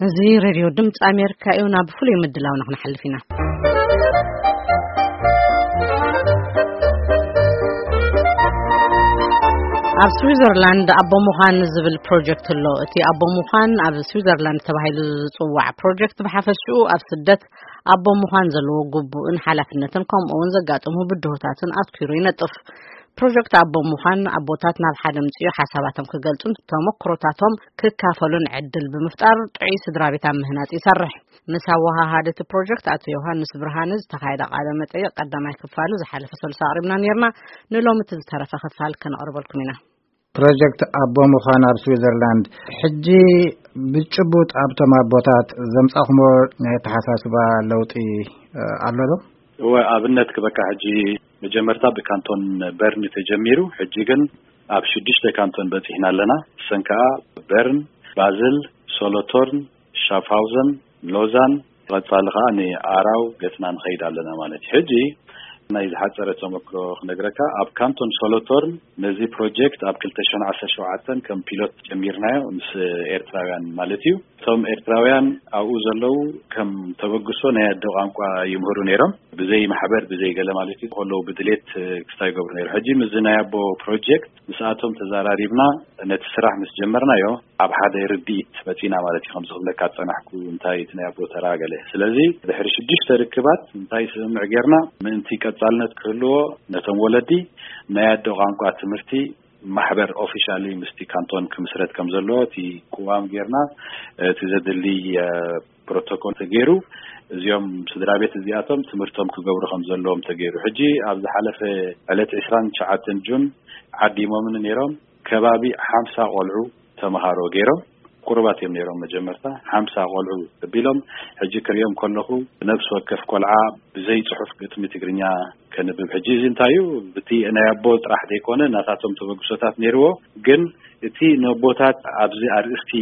እዚ ሬድዮ ድምፂ ኣሜሪካ እዩ። ናብ ፍሉይ ምድላውና ክንሓልፍ ኢና። ኣብ ስዊዘርላንድ ኣቦ ምዃን ዝብል ፕሮጀክት ኣሎ። እቲ ኣቦ ምዃን ኣብ ስዊዘርላንድ ተባሂሉ ዝጽዋዕ ፕሮጀክት ብሓፈሽኡ ኣብ ስደት ኣቦ ምዃን ዘለዎ ግቡእን ሓላፍነትን ከምኡ እውን ዘጋጥሙ ብድሆታትን ኣትኲሩ ይነጥፍ። ፕሮጀክት ኣቦ ምዃን ኣቦታት ናብ ሓደ ምጽኡ ሓሳባቶም ክገልጹን ተመክሮታቶም ክካፈሉን ዕድል ብምፍጣር ጥዑይ ስድራ ቤት ኣብ ምህናጽ ይሰርሕ። ምስ ኣወሃሃዲ እቲ ፕሮጀክት ኣቶ ዮሃንስ ብርሃነ ዝተኻየደ ቃለ መጠይቕ ቀዳማይ ክፋሉ ዝሓለፈ ሰሉስ ኣቕሪብና ነይርና። ንሎሚ እቲ ዝተረፈ ክፋል ከነቕርበልኩም ኢና። ፕሮጀክት ኣቦ ምዃን ኣብ ስዊዘርላንድ ሕጂ ብጭቡጥ ኣብቶም ኣቦታት ዘምጻኹሞ ናይ ኣተሓሳስባ ለውጢ፣ እ፣ ኣሎ ዶ? እወ፣ ኣብነት ክበካ ሕጂ መጀመርታ ብካንቶን በርን ተጀሚሩ፣ ሕጂ ግን ኣብ ሽዱሽተ ካንቶን በጺሕና ኣለና። እሰን ከኣ በርን፣ ባዝል፣ ሶሎቶርን፣ ሻፍሃውዘን፣ ሎዛን፣ ቀጻሊ ከኣ ንኣራው ገጽና ንኸይድ ኣለና ማለት እዩ። ሕጂ ናይ ዝሓጸረ ተመክሮ ክነግረካ፣ ኣብ ካንቶን ሶሎቶርን ነዚ ፕሮጀክት ኣብ ክልተ ሽሕን ዓሰርተ ሸውዓተን ከም ፒሎት ጀሚርናዮ ምስ ኤርትራውያን ማለት እዩ። እቶም ኤርትራውያን ኣብኡ ዘለዉ ከም ተበግሶ ናይ ኣደ ቋንቋ ይምህሩ ነይሮም። ብዘይ ማሕበር፣ ብዘይ ገለ ማለት እዩ፣ ከለዉ ብድሌት ክስታይ ይገብሩ ነይሩ። ሕጂ ምስዚ ናይ ኣቦ ፕሮጀክት ምስኣቶም ተዘራሪብና ነቲ ስራሕ ምስ ጀመርናዮ ኣብ ሓደ ርድኢት መጺና ማለት እዩ። ከምዚ ክብለካ ዝጸናሕኩ እንታይ እቲ ናይ ኣቦ ተራ ገለ። ስለዚ ድሕሪ ሽዱሽተ ርክባት እንታይ ስምምዕ ጌርና፣ ምእንቲ ቀጻልነት ክህልዎ ነቶም ወለዲ ናይ ኣደ ቋንቋ ትምህርቲ ማሕበር ኦፊሻሊ ምስቲ ካንቶን ክምስረት ከም ዘለዎ እቲ ቅዋም ጌርና፣ እቲ ዘድሊ፣ እ፣ ፕሮቶኮል ተገይሩ፣ እዚኦም ስድራ ቤት እዚኣቶም ትምህርቶም ክገብሩ ከም ዘለዎም ተገይሩ። ሕጂ ኣብ ዝሓለፈ ዕለት ዕስራን ትሽዓተን ጁን ዓዲሞምን ነይሮም፣ ከባቢ ሓምሳ ቆልዑ ተምሃሮ ገይሮም። ቁሩባት እዮም ነይሮም መጀመርታ፣ ሓምሳ ቆልዑ ተቢሎም። ሕጂ ክሪኦም ከለኹ ነፍሲ ወከፍ ቆልዓ ብዘይ ጽሑፍ ግጥሚ ትግርኛ ከንብብ። ሕጂ እዚ እንታይ እዩ? ብቲ ናይ ኣቦ ጥራሕ ዘይኮነ ናታቶም ተበግሶታት ነይርዎ፣ ግን እቲ ነቦታት ኣብዚ ኣርእስቲ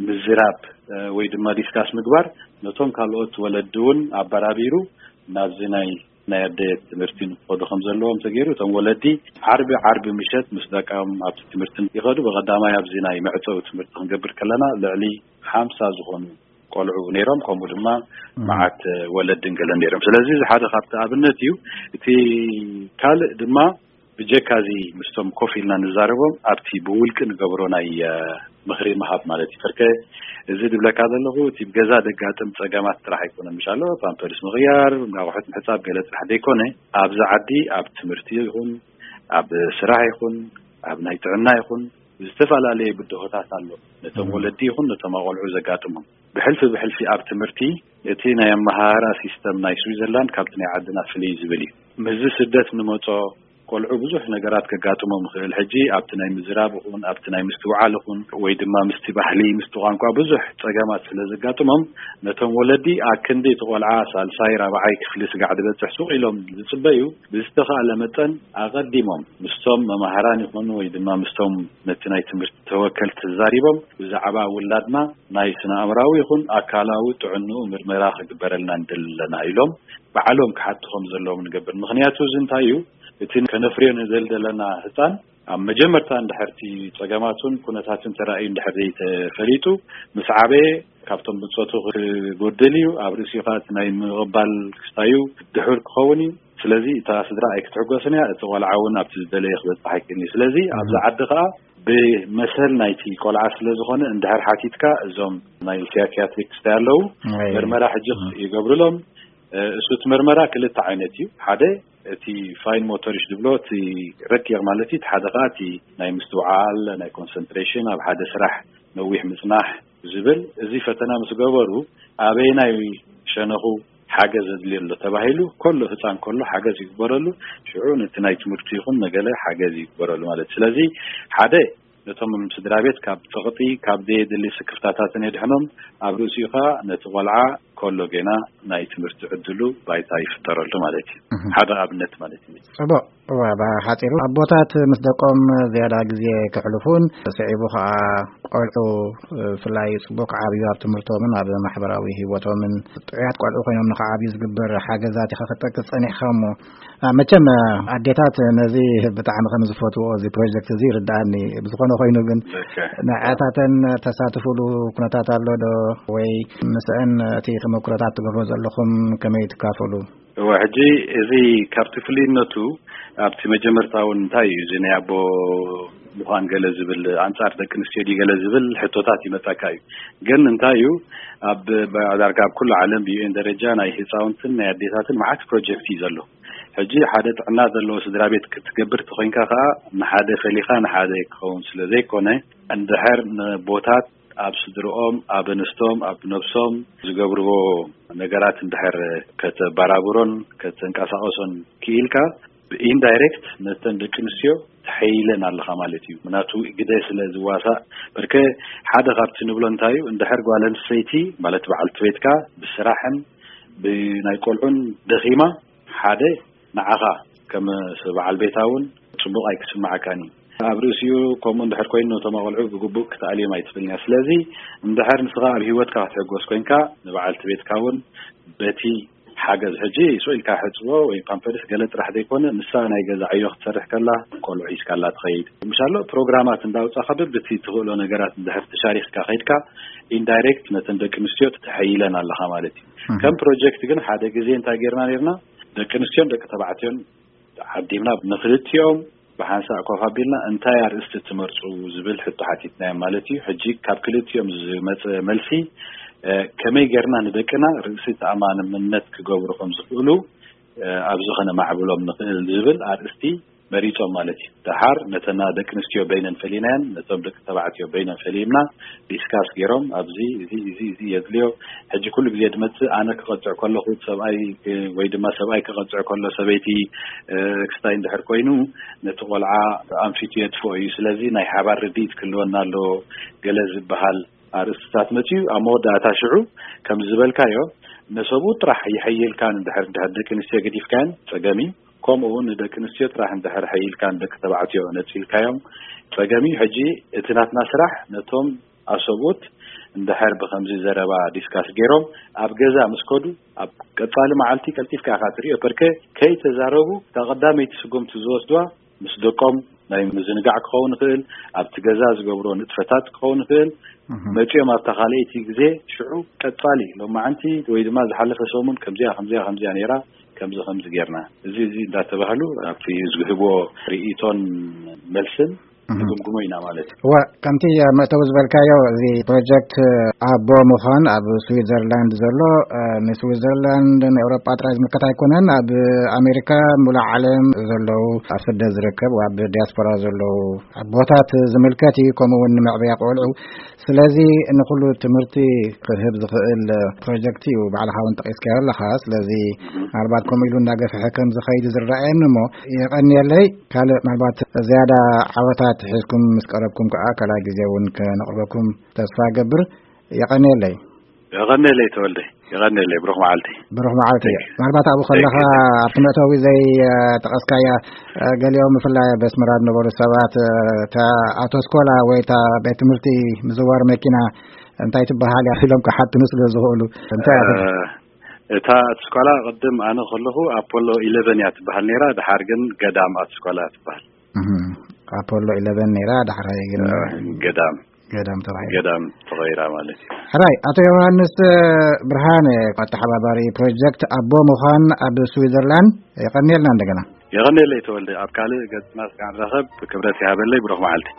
ምዝራብ፣ እ፣ ወይ ድማ ዲስካስ ምግባር ነቶም ካልኦት ወለዲ እውን ኣበራቢሩ ናብዚ ናይ፣ ናይ ኣደ ትምህርቲ ንክኸዱ ከም ዘለዎም ተገይሩ። እቶም ወለዲ ዓርቢ፣ ዓርቢ ምሸት ምስ ደቃም ኣብቲ ትምህርቲ ይኸዱ። ብቐዳማይ ኣብዚ ናይ መዕጸዊ ትምህርቲ ክንገብር ከለና ልዕሊ ሓምሳ ዝኾኑ ቆልዑ ነይሮም፣ ከምኡ ድማ እም። መዓት ወለድን ገለን ነይሮም። ስለዚ እዚ ሓደ ካብቲ ኣብነት እዩ። እቲ ካልእ ድማ ብጀካ እዚ ምስቶም ኮፍ ኢልና ንዛረቦም ኣብቲ ብውልቂ ንገብሮ ናይ፣ እ፣ ምኽሪ ምሃብ ማለት እዩ። ፈርከ እዚ ድብለካ ዘለኹ እቲ ብገዛ ደጋጥም ጸገማት ጥራሕ ኣይኮነን። ምሻሎ ፓምፐርስ ምቕያር፣ ኣቑሑት ምሕጻብ ገለ ጥራሕ ዘይኮነ፣ ኣብዚ ዓዲ ኣብ ትምህርቲ ይኹን፣ ኣብ ስራሕ ይኹን፣ ኣብ ናይ ጥዕና ይኹን፣ ዝተፈላለየ ብድሆታት ኣሎ። ነቶም እም። ወለዲ ይኹን ነቶም ኣቆልዑ ዘጋጥሞም። ብሕልፊ ብሕልፊ ኣብ ትምህርቲ እቲ ናይ ኣመሃህራ ሲስተም ናይ ስዊዘርላንድ ካብቲ ናይ ዓድና ፍልይ ዝብል እዩ። ምስዚ ስደት ንመጾ ቆልዑ ብዙሕ ነገራት ከጋጥሞም ይኽእል። ሕጂ ኣብቲ ናይ ምዝራብ ይኹን፣ ኣብቲ ናይ ምስትውዓል ይኹን፣ ወይ ድማ ምስቲ ባህሊ፣ ምስቲ ቋንቋ ብዙሕ ጸገማት ስለ ዘጋጥሞም፣ ነቶም ወለዲ ኣክንዲ እቲ ቆልዓ ሳልሳይ፣ ራብዓይ ክፍሊ ስጋዕ ዝበጽሕ ሱቕ ኢሎም ዝጽበዩ፣ ብዝተኻእለ መጠን ኣቐዲሞም ምስቶም መማህራን ይኹኑ ወይ ድማ ምስቶም ነቲ ናይ ትምህርቲ ተወከልቲ ተዛሪቦም ብዛዕባ ውላድና ናይ ስነ ኣእምራዊ ይኹን ኣካላዊ ጥዕንኡ ምርመራ ክግበረልና ንደሊ ኣለና ኢሎም ባዕሎም ክሓቱ ከም ዘለዎም ንገብር። ምኽንያቱ እዚ እንታይ እዩ? እቲ ከነፍርዮ ንደሊ ዘለና ህጻን ኣብ መጀመርታ እንድሕር እቲ ጸገማቱን ኩነታቱን ተራእዩ እንድሕር ዘይተፈሊጡ፣ ምስ ዓበየ ካብቶም ብጾቱ ክጎድል እዩ። ኣብ ርእሲኡ ከኣ እቲ ናይ ምቕባል ክስታዩ ድሑር ክኸውን እዩ። ስለዚ እታ ስድራ ኣይክትሕጎስን እያ፣ እቲ ቆልዓ እውን ኣብቲ ዝደለየ ክበጽሕ ኣይክእልን እዩ። ስለዚ ኣብዚ ዓዲ ከኣ ብመሰል ናይቲ ቆልዓ ስለ ዝኾነ እንድሕር ሓቲትካ እዞም ናይ ሳይኪያትሪክ ክስታይ ኣለዉ፣ ኣይ። ምርመራ ሕጂ እም። ይገብሩሎም። እ፣ እሱ እቲ መርመራ ክልተ ዓይነት እዩ። ሓደ እቲ ፋይን ሞቶሪሽ ዝብሎ እቲ ረቂቕ ማለት እዩ፣ እቲ ሓደ ከኣ እቲ ናይ ምስትውዓል፣ ናይ ኮንሰንትሬሽን፣ ኣብ ሓደ ስራሕ ነዊሕ ምጽናሕ ዝብል። እዚ ፈተና ምስ ገበሩ ኣበየናይ ሸነኹ ሓገዝ ዘድልዮ ኣሎ ተባሂሉ፣ ከሎ ህጻን ከሎ ሓገዝ ይግበረሉ፣ ሽዑ ነቲ ናይ ትምህርቲ ይኹን ነገለ ሓገዝ ይግበረሉ ማለት። ስለዚ ሓደ ነቶም ስድራ ቤት ካብ ጸቕጢ፣ ካብ ዘየድሊ ስክፍታታትን የድሕኖም። ኣብ ርእሲኡ ከኣ ነቲ ቆልዓ ከሎ ጌና ናይ ትምህርቲ ዕድሉ ባይታ ይፍጠረሉ ማለት እዩ። ሓደ ኣብነት ማለት እዩ። ጽቡቕ። እዋ፣ ብሓጺሩ ኣቦታት ምስ ደቆም ዝያዳ ግዜ ከሕልፉን ስዒቡ ከኣ ቆልዑ ብፍላይ ጽቡቕ ክዓብዩ ኣብ ትምህርቶምን ኣብ ማሕበራዊ ህይወቶምን ጥዑያት ቆልዑ ኮይኖም ንኽዓብዩ ዝግበር ሓገዛት ኢኻ ክትጠቅስ ጸኒሕኻ እሞ፣ ኣ፣ መቸም ኣዴታት ነዚ ብጣዕሚ ከም ዝፈትዎ እዚ ፕሮጀክት እዚ ይርድኣኒ። ብዝኾነ ኮይኑ ግን ንዕኣታተን ተሳትፉሉ ኩነታት ኣሎ ዶ? ወይ ምስአን እቲ ተመኩሮታት ትገብሮ ዘለኹም ከመይ ትካፈሉ? እወ፣ ሕጂ እዚ ካብቲ ፍልይነቱ ኣብቲ መጀመርታ እውን እንታይ እዩ እዚ ናይ ኣቦ ምዃን ገለ ዝብል ኣንጻር ደቂ ኣንስትዮ ድዩ ገለ ዝብል ሕቶታት ይመጻካ እዩ። ግን እንታይ እዩ ኣብ ዳርጋ ኣብ ኩሉ ዓለም ብዩኤን ደረጃ ናይ ህፃውንትን ናይ ኣዴታትን መዓት ፕሮጀክት እዩ ዘሎ። ሕጂ ሓደ ጥዕና ዘለዎ ስድራ ቤት ክትገብር ተኾይንካ ከኣ ንሓደ ፈሊኻ ንሓደ ክኸውን ስለ ዘይኮነ እንድሕር ንቦታት ኣብ ስድርኦም ኣብ ኣንስቶም ኣብ ነብሶም ዝገብርዎ ነገራት እንድሕር ከተባራብሮን ከተንቀሳቐሶን ክኢልካ ብኢንዳይሬክት ነተን ደቂ ኣንስትዮ ተሐይለን ኣለኻ ማለት እዩ። ምናቱ ግደ ስለ ዝዋሳእ በርከ ሓደ ካብቲ ንብሎ እንታይ እዩ እንድሕር ጓል ኣንስተይቲ ማለት በዓልቲ ቤትካ ብስራሕን ብናይ ቆልዑን ደኺማ ሓደ ንዓኻ ከም በዓል ቤታ እውን ጽቡቕ ኣይክስምዓካን እዩ። ኣብ ርእሲኡ ከምኡ እንድሕር ኮይኑ ነቶም ኣቆልዑ ብግቡእ ክትኣልዮም ኣይትኽእልን እያ። ስለዚ እንድሕር ንስኻ ኣብ ህይወትካ ክትሕጎስ ኮይንካ ንበዓልቲ ቤትካ እውን በቲ ሓገዝ ሕጂ ስቕ ኢልካ ሕጽቦ ወይ ፓምፐርስ ገለ ጥራሕ ዘይኮነ ንሳ ናይ ገዛ ዕዮ ክትሰርሕ ከላ ቆልዑ ሒዝካላ ትኸይድ ምሻሎ ፕሮግራማት እንዳውጻኻ በብቲ ትኽእሎ ነገራት እንድሕር ተሻሪኽካ ከይድካ ኢንዳይሬክት ነተን ደቂ ኣንስትዮ ተተሐይለን ኣለኻ ማለት እዩ። ከም ፕሮጀክት ግን ሓደ ግዜ እንታይ ጌርና ኔርና ደቂ ኣንስትዮን ደቂ ተባዕትዮን ዓዲምና ንክልቲኦም ብሓንሳእ ኮፍ ኣቢልና እንታይ ኣርእስቲ ትመርጹ ዝብል ሕቶ ሓቲትናዮም ማለት እዩ። ሕጂ ካብ ክልቲኦም ዝመጸ መልሲ እ፣ ከመይ ጌርና ንደቅና ርእሲ ተኣማንነት ክገብሩ ከም ዝኽእሉ እ፣ ኣብዚ ከነማዕብሎም ንኽእል ዝብል ኣርእስቲ መሪጾም ማለት እዩ። ደሓር ነተና ደቂ ኣንስትዮ በይነን ፈሊናየን ነቶም ደቂ ተባዕትዮ በይነን ፈሊምና ዲስካስ ገይሮም ኣብዚ እዚ እዚ እዚ የድልዮ ሕጂ ኩሉ ግዜ ድመጽእ ኣነ ክቐጽዕ ከለኹ ሰብኣይ እ፣ ወይ ድማ ሰብኣይ ክቐጽዕ ከሎ ሰበይቲ እ፣ ክስታይ እንድሕር ኮይኑ ነቲ ቆልዓ ኣንፊቱ የጥፍኦ እዩ። ስለዚ ናይ ሓባር ርድኢት ክህልወና ኣለዎ ገለ ዝበሃል ኣርእስትታት መጽዩ ኣብ መወዳእታ ሽዑ ከም ዝበልካዮ ነሰብኡ ጥራሕ ይሐይልካን እንድሕር እንድሕር ደቂ ኣንስትዮ ገዲፍካየን ጸገም እዩ። ከምኡ እውን ንደቂ ኣንስትዮ ጥራሕ እንድሕር ሐይልካን ደቂ ተባዕትዮ ነጺልካዮም ጸገም እዩ። ሕጂ እቲ ናትና ስራሕ ነቶም ኣሰብኡት እንድሕር ብከምዚ ዘረባ ዲስካስ ገይሮም ኣብ ገዛ ምስ ከዱ ኣብ ቀጻሊ መዓልቲ ቀልጢፍካ ኢኻ ትሪኦ። በርከ ከይተዛረቡ እታ ቀዳመይቲ ስጉምቲ ዝወስድዋ ምስ ደቆም ናይ ምዝንጋዕ ክኸውን ይኽእል፣ ኣብቲ ገዛ ዝገብሮ ንጥፈታት ክኸውን ይኽእል። መጺኦም ኣብታ ካልኣይቲ ግዜ ሽዑ ቀጻሊ ሎማዓንቲ ወይ ድማ ዝሓለፈ ሰሙን ከምዚኣ ከምዚኣ ከምዚኣ ነይራ ከምዚ ከምዚ ጌርና እዚ እዚ እንዳተባህሉ ኣብቲ ዝህብዎ ርእይቶን መልስን ንግምግሞ ኢና ማለት እዩ። እወ፣ ከምቲ መእተዊ ዝበልካዮ፣ እዚ ፕሮጀክት ኣቦ ምዃን ኣብ ስዊዘርላንድ ዘሎ፣ እ፣ ንስዊዘርላንድ ንኤውሮጳ ጥራይ ዝምልከት ኣይኮነን። ኣብ ኣሜሪካ፣ ሙሉእ ዓለም ዘለዉ፣ ኣብ ስደት ዝርከብ፣ ኣብ ዲያስፖራ ዘለዉ ኣቦታት ዝምልከት እዩ። ከምኡ እውን ንመዕበያ ቆልዑ። ስለዚ ንኹሉ ትምህርቲ ክህብ ዝኽእል ፕሮጀክት እዩ። ባዕልኻ እውን ጠቒስካዮ ኣለኻ። ስለዚ ምናልባት ከምኡ ኢሉ እንዳገፍሐ ከም ዝኸይድ ዝረኣየኒ እሞ፣ የቐንየለይ። ካልእ ምናልባት ዝያዳ ዓወታት ሒዝኩም ምስ ቀረብኩም ከኣ ካልኣይ ግዜ እውን ከነቕርበኩም ተስፋ እገብር። የቐንየለይ። የቐንየለይ ተወልደ። የቐንየለይ። ብሩኽ መዓልቲ። ብሩኽ መዓልቲ። Thank you። ምናልባት ኣብኡ ከለኻ Thank you። ኣብቲ መእተዊ ዘይጠቐስካያ፣ እ፣ ገሊኦም ብፍላይ ኣብ ኣስመራ ዝነበሩ ሰባት፣ እ፣ እታ ኣውቶስኮላ ወይ እታ ቤት ትምህርቲ ምዝዋር መኪና እንታይ ትበሃል እያ ኢሎም ክሓትኑ ስለ ዝኽእሉ እንታይ እያ ትበሃል? እ፣ እታ ኣውቶስኮላ ቅድም ኣነ ከለኹ ኣፖሎ ኢለቨን እያ ትበሃል ነይራ። ድሓር ግን ገዳም ኣውቶስኮላ ትበሃል። እህ፣ ኣፖሎ ኢለቨን ነይራ፣ ዳሕራይ ግን እ፣ ገዳም። ገዳም ተባሂላ። ገዳም ተቐይራ ማለት እዩ። ሕራይ፣ ኣቶ ዮሃንስ ብርሃነ፣ ኣተሓባባሪ ፕሮጀክት ኣቦ ምዃን ኣብ ስዊዘርላንድ፣ የቐንየልና እንደገና። የቐንየለይ ተወልደ፣ ኣብ ካልእ ገጽና ስጋዕ ንራኸብ፣ ክብረት ይሃበለይ፣ ብሩኽ መዓልቲ።